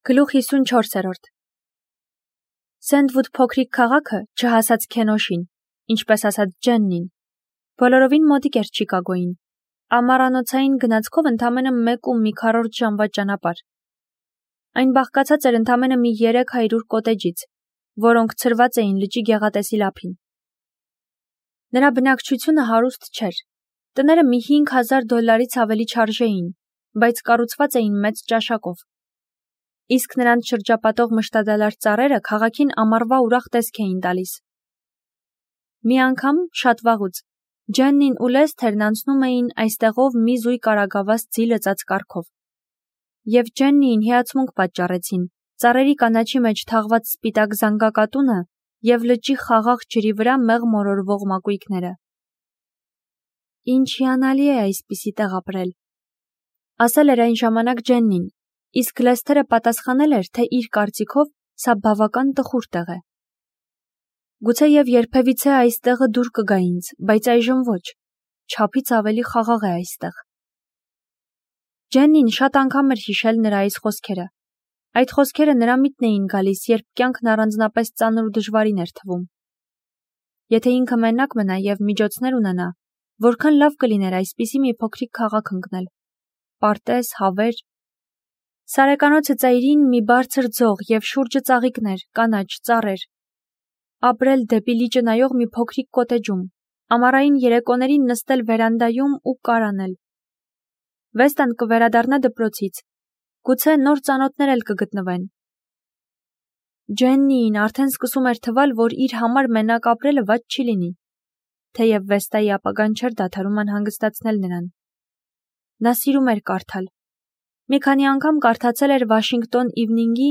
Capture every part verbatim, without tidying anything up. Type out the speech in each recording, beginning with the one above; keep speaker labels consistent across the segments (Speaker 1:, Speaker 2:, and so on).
Speaker 1: Գլուխ հիսունչորսերորդ Սենդվուդ փոքրիկ քաղաքը չհասած Քենոշին, ինչպես ասած Ջեննին, բոլորովին մոտիկ էր Չիկագոյին, ամառանոցային գնացքով ընդամենը մեկ ու մի քառորդ ժամվա ճանապարհ։ Այն բաղկացած էր ընդամենը մի երեք հարյուր կոտեջից, որոնք ցրված էին լճի գեղատեսիլ ափին։ Նրա բնակչությունը հարուստ չէր, տները մի հինգ հազար դոլարից ավելի չարժեին, բայց կառուցված էին մեծ ճաշակով։ Իսկ նրանց շրջապատող մշտադալար ծառերը քաղաքին ամառվա ուրախ տեսք էին տալիս։ Մի անգամ, շատ վաղուց, Ջեննին ու Լեսթերն անցնում էին այստեղով մի զույգ արագավազ ձի լծած կառքով։ Եվ Ջեննիին հիացմունք պատճառեցին ծառերի կանաչի մեջ թաղված սպիտակ զանգակատունը և լճի խաղաղ ջրի վրա մեղ մորորվող մակույկները։ Ինչ հիանալի է այսպիսի տեղ ապրել, ասել էր այն ժամանակ Ջեննին, իսկ Լեսթերը պատասխանել էր, թե իր կարծիքով սա բավական տխուր տեղ է։ Գուցեև երբևիցե այս տեղը դուր կգա ինձ, բայց այժմ ոչ, չափից ավելի խաղաղ է այստեղ։ Ջեննին շատ անգամ էր հիշել նրա այս խոսքերը։ Այդ խոսքերը նրա միտքն էին գալիս, երբ կյանքն առանձնապես ծանր ու դժվարին էր թվում։ Եթե ինքը մենակ մնա և միջոցներ ունենա, որքան լավ կլիներ այսպիսի մի փոքրիկ քաղաք ընկնել։ Պարտեզ, հավեր։ Սարեկանոցը ծայրին մի բարձր ձող և շուրջը ծաղիկներ, կանաչ, ծառեր։ Ապրել դեպի լիճը նայող մի փոքրիկ կոտեջում, ամառային երեկոներին նստել վերանդայում ու կար անել։ Վեստան կվերադառնա դպրոցից, գուցե նոր ծանոթներ էլ կգտնվեն։ Ջեննիին արդեն սկսում էր թվալ, որ իր համար մենակ ապրելը վատ չի լինի, թեև Վեստայի ապագան չէր դադարում անհանգստացնել նրան։ Նա սիրում էր կարդալ։ Մի քանի անգամ կարդացել էր Վաշինգտոն Իվնինգի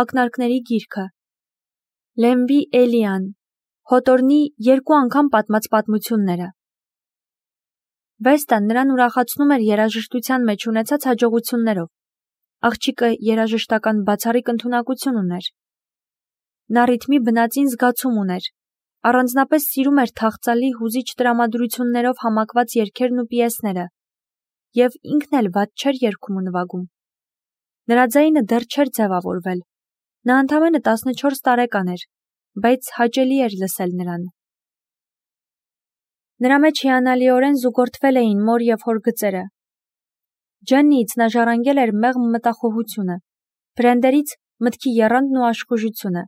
Speaker 1: ակնարկների գիրքը, Լեմբի Էլիան, Հոտորնի երկու անգամ պատմած պատմությունները։ Վեստան նրան ուրախացնում էր երաժշտության մեջ ունեցած հաջողություններով։ Աղջիկը երաժշտական բացառիկ ընդունակություն ուներ։ Նա ռիթմի բնածին զգացում ուներ, առանձնապես սիրում էր թախծալի հուզիչ տրամադրություններով համակված երգերն ու պիեսները, և ինքն էլ վատ չէր երգում ու նվագում։ Նրա ձայնը դեռ չէր ձևավորվել։ Նա ընդամենը տասնչորս տարեկան էր, բայց հաճելի էր լսել նրան։ Նրա մեջ հիանալիորեն զուգորդվել էին մոր և հոր գծերը։ Ջեննիից նա ժառանգել էր մեղմ մտախոհությունը, Բրենդերից մտքի եռանդն ու աշխուժությունը։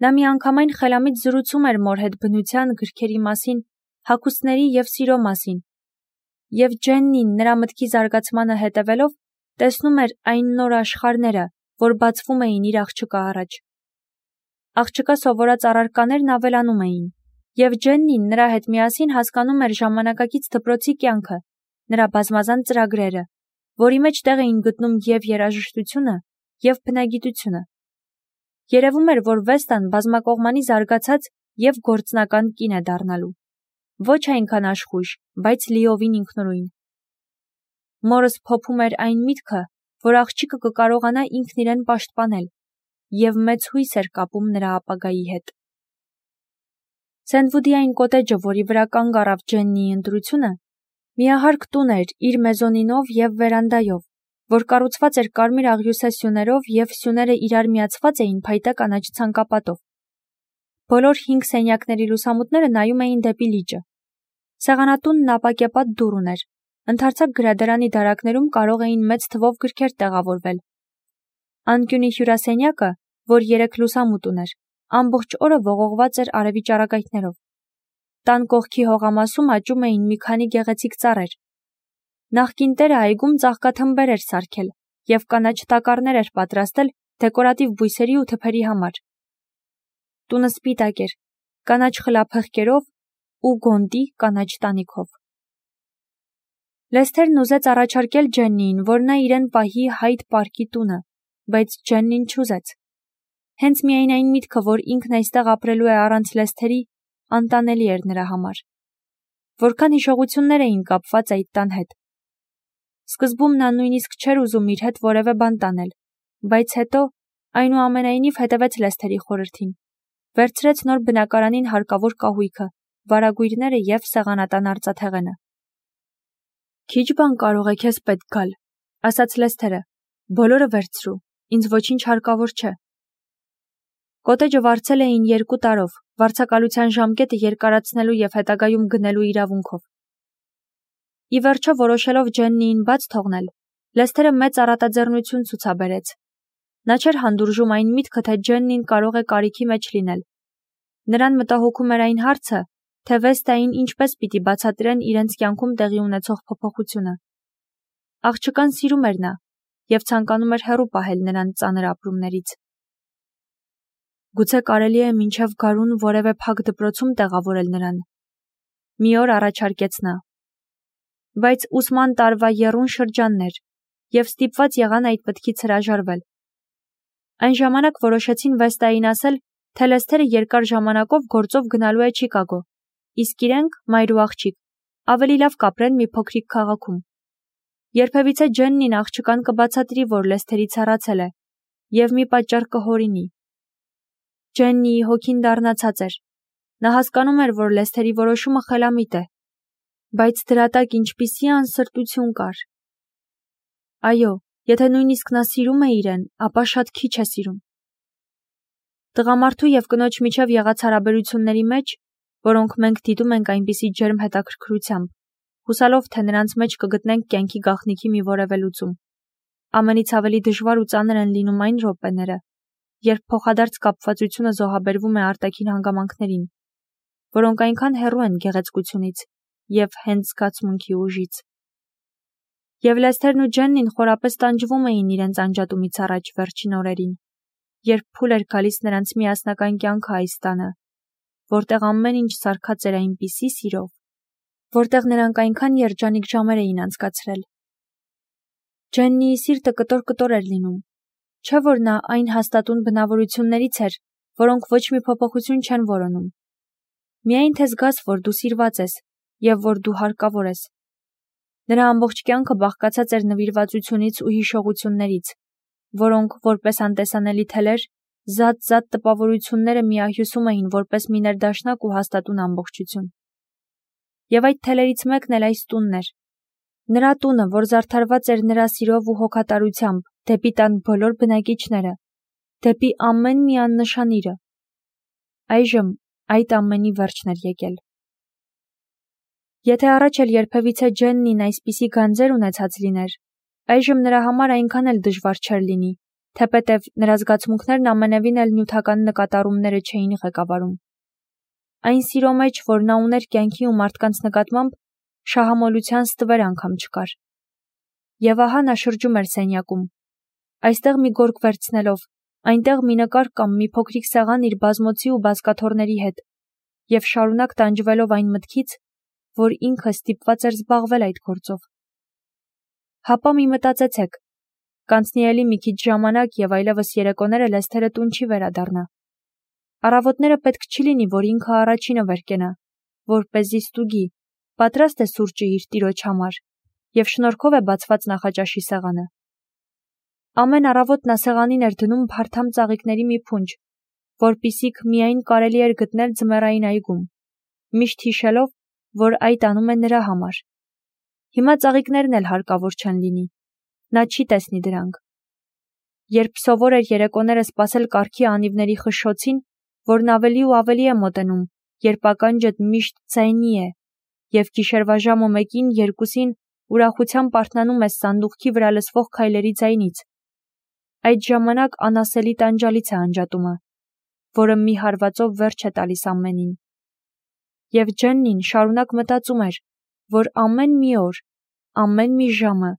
Speaker 1: Նա միանգամայն խելամիտ զրուցում էր մոր հետ բնության, գրքերի մասին, հագուստների և սիրո մասին, և Ջեննին նրա մտքի զարգացմանը հետևելով տեսնում էր այն նոր աշխարհները, որ բացվում էին իր աղջկա առաջ։ Աղջկա սովորած առարկաներն ավելանում էին, և Ջեննին նրա հետ միասին հասկանում էր ժամանակակից դպրոցի կյանքը, նրա բազմազան ծրագրերը, որի մեջ տեղ էին գտնում և երաժշտությունը, և բնագիտությունը։ Երևում էր, որ Վեստան բազմակողմանի զարգացած և գործնական կին է դառնալու։ Ոչ այնքան աշխույժ, բայց լիովին ինքնուրույն։ Մորս փոփում էր այն միտքը, որ աղջիկը կկարողանա ինքն իրեն պաշտպանել, և մեծ հույս էր կապում նրա ապագայի հետ։ Սենդվուդի այն կոտեջը, որի վրա կանգ առավ Ջեննիի ընտրությունը, միահարկ տուն էր իր մեզոնինով և վերանդայով, որ կառուցված էր կարմիր աղյուսե սյուներով և սյուները իրար միացված էին փայտե կանաչ ցանկապատով։ Բոլոր հինգ սենյակների լուսամուտները նայում էին դեպի լիճը։ Սեղանատունն ապակեպատ դուռ ուներ, ընդարձակ գրադարանի դարակներում կարող էին մեծ թվով գրքեր տեղավորվել։ Անկյունի հյուրասենյակը, որ երեք լուսամուտ ուներ, ամբողջ օրը ողողված էր արևի ճառագայթներով։ Տան կողքի հողամասում աճում էին մի քանի գեղեցիկ ծառեր։ Նախկին տերը այգում ծաղկաթմբեր էր սարքել և կանաչ տակառներ էր պատրաստել դեկորատիվ բույսերի ու թփերի համար։ Տունը սպիտակ էր, կանաչ խլափեղկերով ու գոնդի կանաչ տանիքով։ Լեսթերն ուզեց առաջարկել Ջեննիին, որ նա իրեն պահի Հայդ պարկի տունը, բայց Ջեննին չուզեց։ Հենց միայն այն միտքը, որ ինքն այստեղ ապրելու է առանց Լեսթերի, անտանելի էր նրա համար։ Որքան հիշողություններ էին կապված այդ տան հետ։ Սկզբում նա նույնիսկ չէր ուզում իր հետ որևէ բան տանել, բայց հետո, այնուամենայնիվ, հետևեց Լեսթերի խորհրդին, վերցրեց նոր բնակարանին հարկավոր կահույքը, վարագույրները և սեղանատան արծաթեղենը։ Քիչ բան կարող է քեզ պետք գալ, ասաց Լեսթերը, բոլորը վերցրու, ինձ ոչինչ հարկավոր չէ։ Կոտեջը վարձել էին երկու տարով, վարձակալության ժամկետը երկարացնելու և հետագայում գնելու իրավունքով։ Ի վերջո որոշելով Ջեննիին բաց թողնել, Լեսթերը մեծ առատաձեռնություն ցուցաբերեց։ Նա չէր հանդուրժում այն միտքը, թե Ջեննին կարող է կարիքի մեջ լինել։ Նրան մտահոգում էր այն հարցը, թե Վեստային ինչպես պիտի բացատրեն իրենց կյանքում տեղի ունեցող փոփոխությունը։ Աղջկան սիրում էր նա և ցանկանում էր հեռու պահել նրան ծանր ապրումներից։ Գուցե կարելի է մինչև գարուն որևէ փակ դպրոցում տեղավորել նրան։ Մի օր առաջարկեց նա։ Բայց ուսման տարվա եռուն շրջանն էր, և ստիպված եղան այդ մտքից հրաժարվել։ Այն ժամանակ որոշեցին Վեստային ասել, թե Լեսթերը երկար ժամանակով գործով գնալու է Չիկագո, իսկ իրենք, մայր ու աղջիկ, ավելի լավ կապրեն մի փոքրիկ քաղաքում։ Երբևիցե Ջեննին աղջկան կբացատրի, որ Լեսթերից հեռացել է, և մի պատճառ կհորինի։ Ջեննիի հոգին դառնացած էր։ Նա հասկանում էր, որ Լեսթերի որոշումը խելամիտ է, բայց դրա տակ ինչպիսի անսրտություն կար։ Այո, եթե նույնիսկ նա սիրում է իրեն, ապա շատ քիչ է սիրում։ Տղամարդու և կնոջ միջև եղած հարաբերությունների մեջ, որոնք մենք դիտում ենք այնպիսի ջերմ հետաքրքրությամբ, հուսալով, թե նրանց մեջ կգտնենք կյանքի գաղտնիքի մի որևէ լուծում, ամենից ավելի դժվար ու ծանր են լինում այն րոպեները, երբ փոխադարձ կապվածությունը զոհաբերվում է արտաքին հանգամանքներին, որոնք այնքան հեռու են գեղեցկությունից և հենց զգացմունքի ուժից։ Եվ Լեսթերն ու Ջեննին խորապես տանջվում էին իրենց անջատումից առաջ վերջին օրերին, երբ փուլ էր գալիս նրանց միասնական կյանքը այս տանը, որտեղ ամեն ինչ սարքած էր այնպիսի սիրով, որտեղ նրանք այնքան երջանիկ ժամեր էին անցկացրել։ Ջեննիի սիրտը կտոր-կտոր էր լինում, չէ՞ որ նա այն հաստատուն բնավորություններից էր, որոնք ոչ մի փոփոխություն չեն որոնում։ Միայն թե զգաս, որ դու սիրված ես և որ դու հարկավոր ես։ Նրա ամբողջ կյանքը բաղկացած էր նվիրվածությունից ու հիշողություններից, որոնք, որպես անտեսանելի թելեր, զատ-զատ տպավորությունները միահյուսում էին որպես մի ներդաշնակ ու հաստատուն ամբողջություն։ Եվ այդ թելերից մեկն էլ այս տունն էր։ Նրա տունը, որ զարդարված էր նրա սիրով ու հոգատարությամբ դեպի տան բոլոր բնակիչները, դեպի ամեն մի աննշան իրը։ Այժմ այդ ամենի վերջն էր եկել։ Եթե առաջ էլ երբևիցե Ջեննին այսպիսի գանձեր ունեցած լիներ, այժմ նրա համար այնքան էլ դժվար չէր լինի, թեպետև նրա զգացմունքներն ամենևին էլ նյութական նկատառումները չէին ղեկավարում։ Այն սիրո մեջ, որ նա ուներ կյանքի ու մարդկանց նկատմամբ, շահամոլության ստվեր անգամ չկար։ Եվ ահա նա շրջում էր սենյակում, այստեղ մի գորգ վերցնելով, այնտեղ մի նկար կամ մի փոքրիկ սեղան իր բազմոցի ու բազկաթոռների հետ, և շարունակ տանջվելով այն մտքից, որ ինքը ստիպված էր զբաղվել այդ գործով։ Հապա մի մտածեցեք, կանցնի էլի մի քիչ ժամանակ և այլևս երեկոները Լեսթերը տուն չի վերադառնա։ Առավոտները պետք չի լինի, որ ինքը առաջինը վեր կենա, որպեսզի ստուգի, պատրաստ է սուրճը իր տիրոջ համար, և շնորհքով է բացված նախաճաշի սեղանը։ Ամեն առավոտ նա սեղանին էր դնում փարթամ ծաղիկների մի փունջ, որպիսիք միայն կարելի էր գտնել ձմեռային այգում, միշտ հիշելով, որ այդ անում է նրա համար։ Հիմա ծաղիկներն էլ հարկավոր չեն լինի, նա չի տեսնի դրանք։ Երբ սովոր էր երեկոները սպասել կառքի անիվների խշշոցին, որն ավելի ու ավելի է մոտենում, երբ ականջդ միշտ ձայնի է, և գիշերվա ժամը մեկին, երկուսին ուրախությամբ արթնանում ես սանդուղքի վրա լսվող քայլերի ձայնից, այդ ժամանակ անասելի տանջալից է անջատումը, որը մի հարվածով վերջ է տալիս ամենին։ Եվ Ջեննին շարունակ մտածում էր, որ ամեն մի օր, ամեն մի ժամը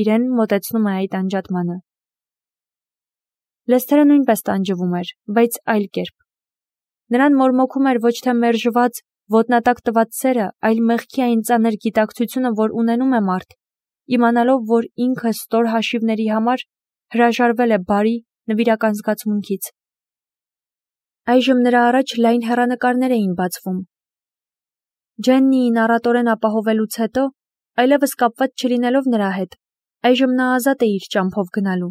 Speaker 1: իրեն մոտեցնում է այդ անջատմանը։ Լեսթերը նույնպես տանջվում էր, բայց այլ կերպ։ Նրան մորմոքում էր ոչ թե մերժված, ոտնատակ տված սերը, այլ մեղքի այն ծանր գիտակցությունը, որ ունենում է մարդ, իմանալով, որ ինքը ստոր հաշիվների համար հրաժարվել է բարի, նվիրական զգացմունքից։ Այժմ նրա առաջ լայն հեռանկարներ էին բացվում։ Ջեննիին առատորեն ապահովելուց հետո, այլևս կապված չլինելով նրա հետ, այժմ նա ազատ է իր ճամփով գնալու,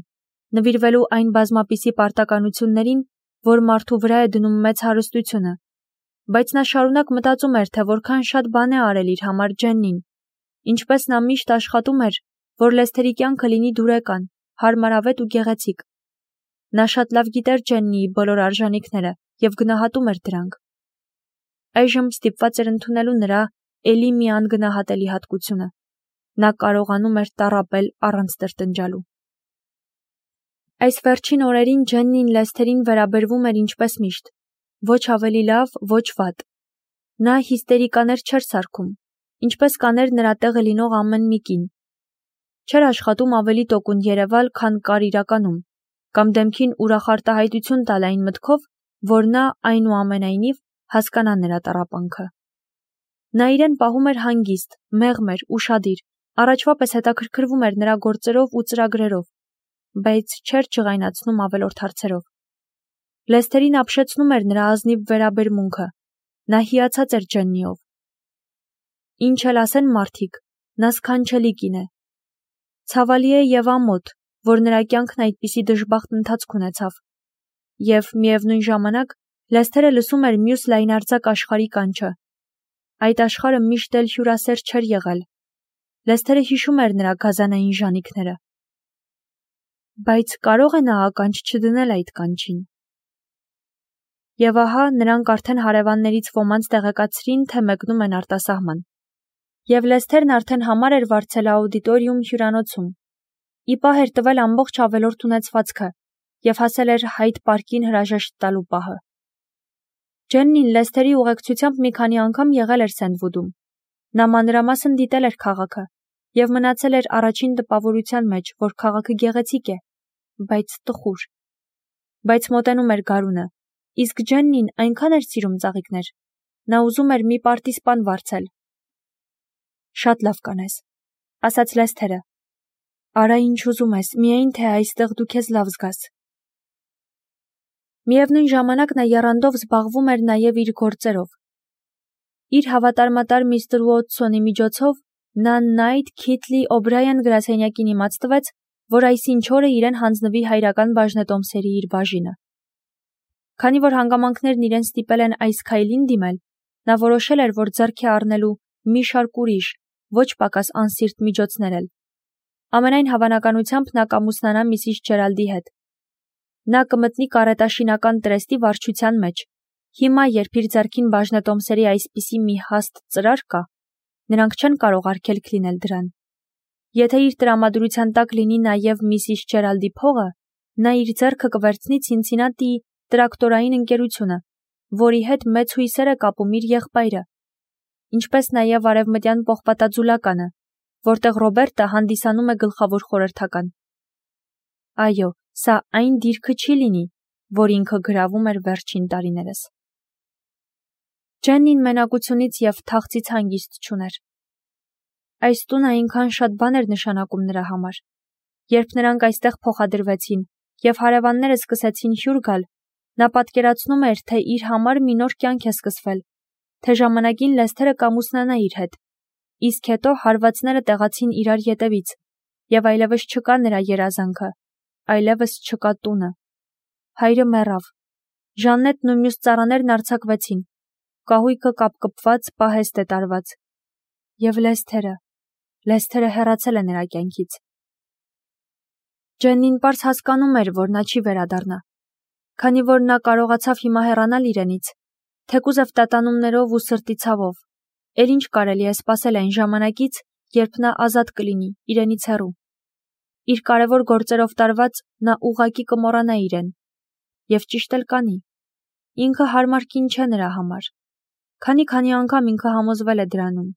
Speaker 1: նվիրվելու այն բազմապիսի պարտականություններին, որ մարդու վրա է դնում մեծ հարստությունը, բայց նա շարունակ մտածում էր, թե որքան շատ բան է արել իր համար Ջեննին, ինչպես նա միշտ աշխատում էր, որ Լեսթերի կյանքը լինի դուրեկան, հարմարավետ ու գեղեցիկ, Նա շատ լավ գիտեր Ջեննիի բոլոր արժանինքները և գնահատում էր դրանք։ Այժմ ստիպված էր ընդունելու նրա էլի մի անգնահատելի հատկությունը. նա կարողանում էր տառապել առանց տրտնջալու։ Այս վերջին օրերին Ջեննին Լեսթերին վերաբերվում էր ինչպես միշտ, ոչ ավելի լավ, ոչ վատ։ Նա հիստերիկաներ չէր սարքում, ինչպես կաներ նրա տեղը լինող ամեն մի կին։ Չէր աշխատում ավելի տոկուն երևալ, քան կար իրականում, կամ դեմքին ուրախ արտահայտություն տալ այն մտքով, որ նա այնուամենայնիվ հասկանա նրա տառապանքը։ Նա իրեն պահում էր հանգիստ, մեղմ էր, ուշադիր, առաջվա պես հետաքրքրվում էր նրա գործերով ու ծրագրերով, բայց չէր ջղայնացնում ավելորդ հարցերով։ Լեսթերին ապշեցնում էր նրա ազնիվ վերաբերմունքը, նա հիացած էր Ջեննիով։ Ինչ էլ ասեն մարդիկ, նա սքանչելի կին է։ Ցավալի է և ամոթ, որ նրա կյանքն այդպիսի դժբախտ ընթացք ունեցավ։ Եվ միևնույն ժամանակ Լեսթերը լսում էր մյուս լայնարձակ աշխարհի կանչը։ Այդ աշխարհը միշտ էլ հյուրասեր չէր եղել։ Լեսթերը հիշում էր նրա գազանային ժանիքները։ Բայց կարո՞ղ է նա ականջ չդնել այդ կանչին։ Եվ ահա նրանք արդեն հարևաններից ոմանց տեղեկացրին, թե մեկնում են արտասահման։ Եվ Լեսթերն արդեն համար էր վարձել աուդիտորիում հյուրանոցում։ Ի պահ էր տվել ամբողջ ավելորդ ունեցվածքը և հասել էր Հայդ պարկին հրաժեշտ տալու պահը։ Ջեննին Լեսթերի ուղեկցությամբ մի քանի անգամ եղել էր Սենդվուդում։ Նա մանրամասն դիտել էր քաղաքը և մնացել էր առաջին տպավորության մեջ, որ քաղաքը գեղեցիկ է, բայց տխուր։ Բայց մոտենում էր գարունը, իսկ Ջեննին այնքան էր սիրում ծաղիկներ, նա ուզում էր մի պարտիզպան վարձել։ Շատ լավ կանես, ասաց Լեսթերը։ Արա ինչ ուզում ես, միայն թե այստեղ դու քեզ լավ զգաս։ Միևնույն ժամանակ նա եռանդով զբաղվում էր նաև իր գործերով։ Իր հավատարմատար միստր Ուոթսոնի միջոցով նա Նայթ Քիթլի Օբրայան գրասենյակին իմաց տվեց, որ այսինչ օրը իրեն հանձնվի հայրական բաժնետոմսերի իր բաժինը։ Քանի որ հանգամանքներն իրեն ստիպել են այս քայլին դիմել, նա որոշել էր, որ ձեռք է առնելու մի շարք ուրիշ, ոչ պակաս անսիրտ միջոցներ էլ։ Ամենայն հավանականությամբ նա կամուսնանա միսիս Ջերալդի հետ։ Նա կմտնի կարետաշինական տրեստի վարչության մեջ։ Հիմա, երբ իր ձեռքին բաժնետոմսերի այսպիսի մի հաստ ծրար կա, նրանք չեն կարող արգելք լինել դրան։ Եթե իր տրամադրության տակ լինի նաև միսիս Ջերալդի փողը, նա իր ձեռքը կվերցնի Ցինցինատիի տրակտորային ընկերությունը, որի հետ մեծ հույսեր է կապում իր եղբայրը, ինչպես նաև արևմտյան պողպատաձուլականը, որտեղ Ռոբերտը հանդիսանում է գլխավոր խորհրդական։ Այո, սա այն դիրքը չի լինի, որ ինքը գրավում էր վերջին տարիներս։ Ջեննին մենակությունից և թախծից հանգիստ չուներ։ Այս տունը այնքան շատ բան էր նշանակում նրա համար։ Երբ նրանք այստեղ փոխադրվեցին և հարևանները սկսեցին հյուր գալ, նա պատկերացնում էր, թե իր համար մի նոր կյանք է սկսվել, թե ժամանակին Լեսթերը կամուսնանա իր հետ, իսկ հետո հարվածները տեղացին իրար ետևից, և այլևս չկա նրա երազանքը, այլևս չկա տունը։ Հայրը մեռավ։ Ժաննետն ու մյուս ծառաներն արձակվեցին, կահույքը կապկպված պահեստ է տարված։ Եվ Լեսթերը, Լեսթերը հեռացել է նրա կյանքից։ Ջեննին պարզ հասկանում էր, որ նա չի վերադառնա, քանի որ նա կարողացավ հիմա հեռանալ իրենից, թեկուզև տատանումներով ու սրտի ցավով, էլ ինչ կարելի է սպասել այն ժամանակից, երբ նա ազատ կլինի, իրենից հեռու։ Իր կարևոր գործերով տարված նա ուղղակի կմոռանա իրեն։ Եվ ճիշտ էլ կանի։ Ինքը հարմար կին չէ նրա համար։ Քանի-քանի անգամ ինքը համոզվել է դրանում։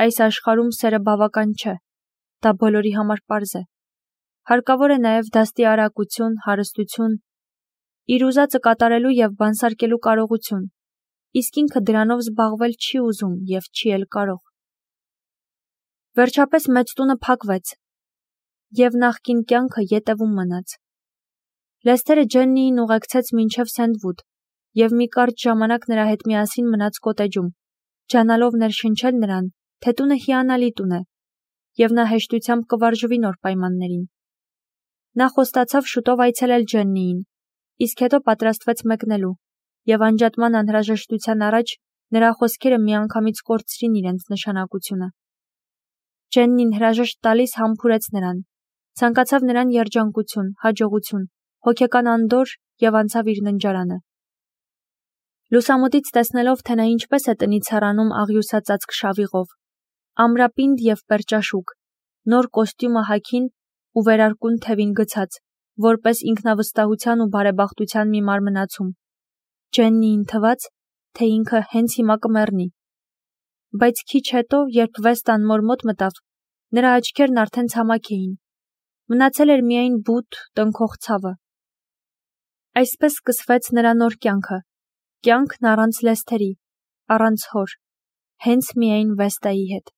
Speaker 1: Այս աշխարհում սերը բավական չէ։ Դա բոլորի համար պարզ է։ Հարկավոր է նաև դաստի արագություն, հարստություն, իր ուզածը կատարելու և բանսարկելու կարողություն, իսկ ինքը դրանով զբաղվել չի ուզում և չի էլ կարող։ Վերջապես մեծ տունը փակվեց, և նախկին կյանքը ետևում մնաց։ Լեսթերը Ջեննիին ուղեկցեց մինչև Սենդվուդ և մի կարճ ժամանակ նրա հետ միասին մնաց կոտեջում, ջանալով ներշնչել նրան, թե տունը հիանալի տուն է, և նա հեշտությամբ կվարժվի նոր պայմաններին։ Նա խոստացավ շուտով այցելել Ջեննիին, իսկ հետո պատրաստվեց մեկնելու, և անջատման անհրաժեշտության առաջ նրա խոսքերը միանգամից կորցրին իրենց նշանակությունը։ Ջեննին հրաժեշտ տալիս համբուրեց նրան, ցանկացավ նրան երջանկություն, հաջողություն, հոգեկան անդորր և անցավ իր ննջարանը։ Լուսամուտից տեսնելով, թե նա ինչպես է տնից հեռանում աղյուսածածկ շավիղով, ամրապինդ և պերճաշուք, նոր կոստյումը հագին ու վերարկուն թևին գցած, որպես ինքնավստահության ու բարեբախտության մի մարմնացում, Ջեննիին թվաց, թե ինքը հենց հիմա կմեռնի։ Բայց քիչ հետո, երբ Վեստան մոր մոտ մտավ, նրա աչքերն արդեն ցամաք էին։ Մնացել էր միայն բութ, տնքող ցավը։ Այսպես սկսվեց նրա նոր կյանքը, կյանքն առանց Լեսթերի, առանց հոր, հենց միայն Վեստայի հետ։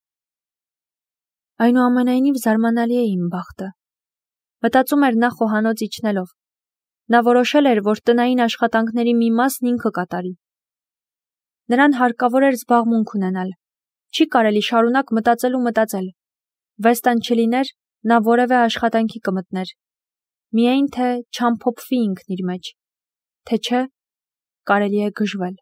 Speaker 1: Այնուամենայնիվ զարմանալի է իմ բախտը, մտածում էր նա խոհանոց իջնելով։ Նա որոշել էր, որ տնային աշխատանքների մի մասն ինքը կատարի։ Նրան հարկավոր էր զբաղմունք ունենալ, չի կարելի շարունակ մտածել ու մտածել։ Վեստան չլիներ, նա որևէ աշխատանքի կմտներ, միայն թե չամփոփվի ինքն իր մեջ, թե չէ, կարելի է գժվել։